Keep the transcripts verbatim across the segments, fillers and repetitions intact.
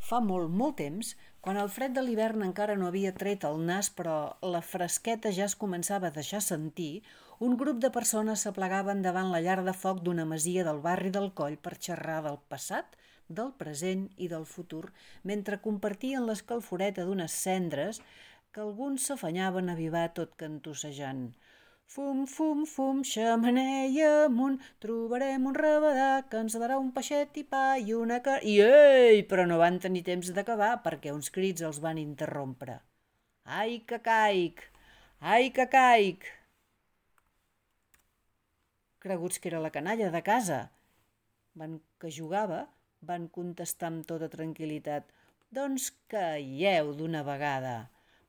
Fa molt, molt temps, quan el fred de l'hivern encara no havia tret el nas però la fresqueta ja es començava a deixar sentir, un grup de persones s'aplegaven davant la llar de foc d'una masia del barri del Coll per xerrar del passat, del present i del futur, mentre compartien l'escalforeta d'unes cendres que alguns s'afanyaven a avivar tot cantussejant. Fum, fum, fum, xemeneia amunt, trobarem un rabadà que ens darà un peixet i pa i una car... I ei! Però no van tenir temps d'acabar perquè uns crits els van interrompre. Ai, que caic! Ai, que caic! Creguts que era la canalla de casa. Van que jugava, van contestar amb tota tranquil·litat. Doncs caieu d'una vegada.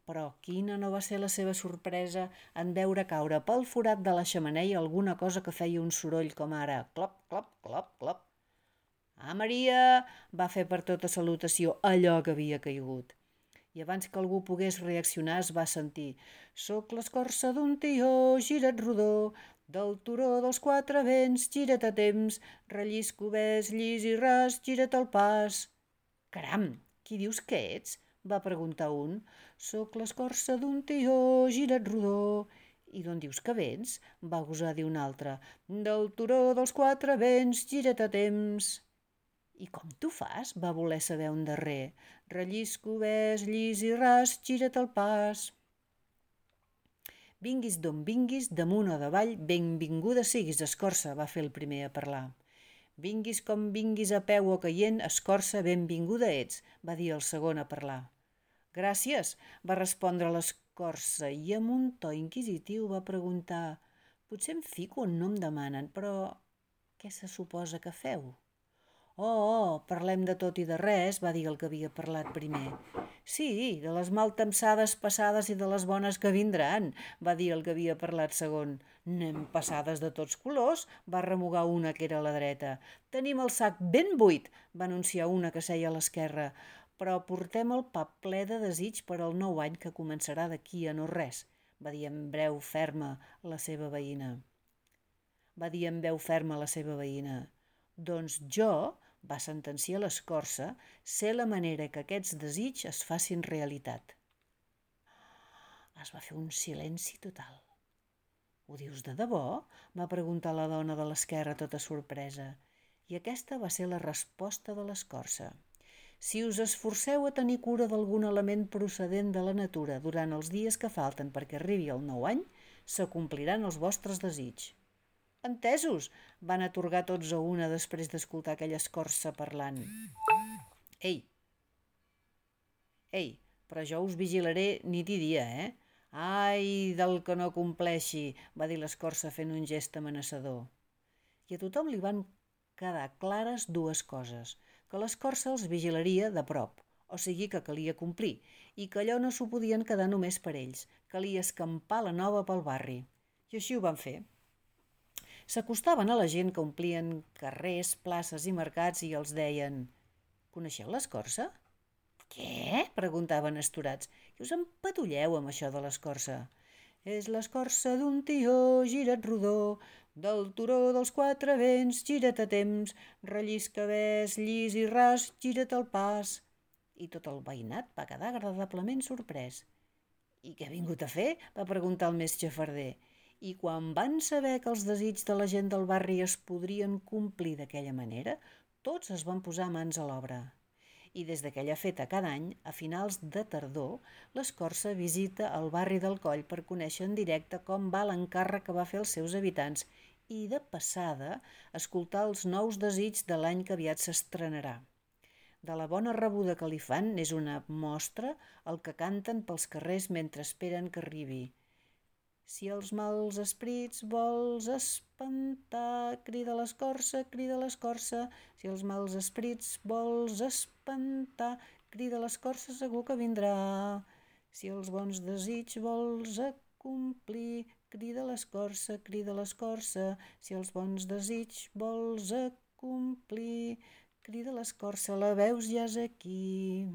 Però quina no va ser la seva sorpresa en veure caure pel forat de la xemeneia alguna cosa que feia un soroll com ara clop, clop, clop, clop. Ah, Maria! Va fer per tota salutació allò que havia caigut. I abans que algú pogués reaccionar es va sentir «Soc l'escorça d'un tió, gira't rodó, del turó dels quatre vents, gira't a temps, rellisco bes, llis i ras, gira't al pas». «Caram, qui dius que ets?» va preguntar un. «Soc l'escorça d'un tió, gira't rodó». «I d'on dius que vens?» va gosar dir un altre. «Del turó dels quatre vents, gira't a temps». «I com t'ho fas?» va voler saber un darrer. «Rellisco bes, llis i ras, gira't al pas». «Vinguis d'on vinguis, damunt o davall, benvinguda siguis, escorça», va fer el primer a parlar. «Vinguis com vinguis a peu o caient, escorça, benvinguda ets», va dir el segon a parlar. «Gràcies», va respondre l'escorça i amb un to inquisitiu va preguntar «Potser em fico on no em demanen, però què se suposa que feu?» «Oh, oh, parlem de tot i de res», va dir el que havia parlat primer. «Sí, de les maltempsades passades i de les bones que vindran», va dir el que havia parlat segon. «N'hem passades de tots colors», va remugar una que era a la dreta. «Tenim el sac ben buit», va anunciar una que seia a l'esquerra, «però portem el pap ple de desig per al nou any que començarà d'aquí a no res», va dir en veu ferma la seva veïna. Va dir en veu ferma la seva veïna. «Doncs jo», va sentenciar l'escorça, «sé la manera que aquests desigs es facin realitat». Es va fer un silenci total. «Ho dius de debò?», va preguntar la dona de l'esquerra tota sorpresa. I aquesta va ser la resposta de l'escorça. «Si us esforceu a tenir cura d'algun element procedent de la natura durant els dies que falten perquè arribi el nou any, s'acompliran els vostres desigs». «Entesos», van atorgar tots a una després d'escoltar aquella escorça parlant. «Ei, ei, però jo us vigilaré nit i dia, eh? Ai, del que no compleixi», va dir l'escorça fent un gest amenaçador. I a tothom li van quedar clares dues coses, que l'escorça els vigilaria de prop, o sigui que calia complir, i que allò no s'ho podien quedar només per ells, calia escampar la nova pel barri. I així ho van fer. S'acostaven a la gent que omplien carrers, places i mercats i els deien «Coneixeu l'escorça?» «Què?» preguntaven astorats. «I us empatulleu amb això de l'escorça?» «És l'escorça d'un tió, gira't rodó, del turó dels quatre vents, gira't a temps, rellisca bes, llis i ras, gira't al pas». I tot el veïnat va quedar agradablement sorprès. «I què ha vingut a fer?», va preguntar el més xafarder. I quan van saber que els desigs de la gent del barri es podrien complir d'aquella manera, tots es van posar mans a l'obra. I des d'aquella feta cada any, a finals de tardor, l'escorça visita el barri del Coll per conèixer en directe com va l'encàrrec que va fer als seus habitants i, de passada, escoltar els nous desigs de l'any que aviat s'estrenarà. De la bona rebuda que li fan n'és una mostra el que canten pels carrers mentre esperen que arribi. «Si els mals esprits vols espantar, crida l'escorça, crida l'escorça. Si els mals esprits vols espantar, crida l'escorça, segur que vindrà. Si els bons desigs vols acomplir, crida l'escorça, crida l'escorça. Si els bons desigs vols acomplir, crida l'escorça, la veus ja és aquí».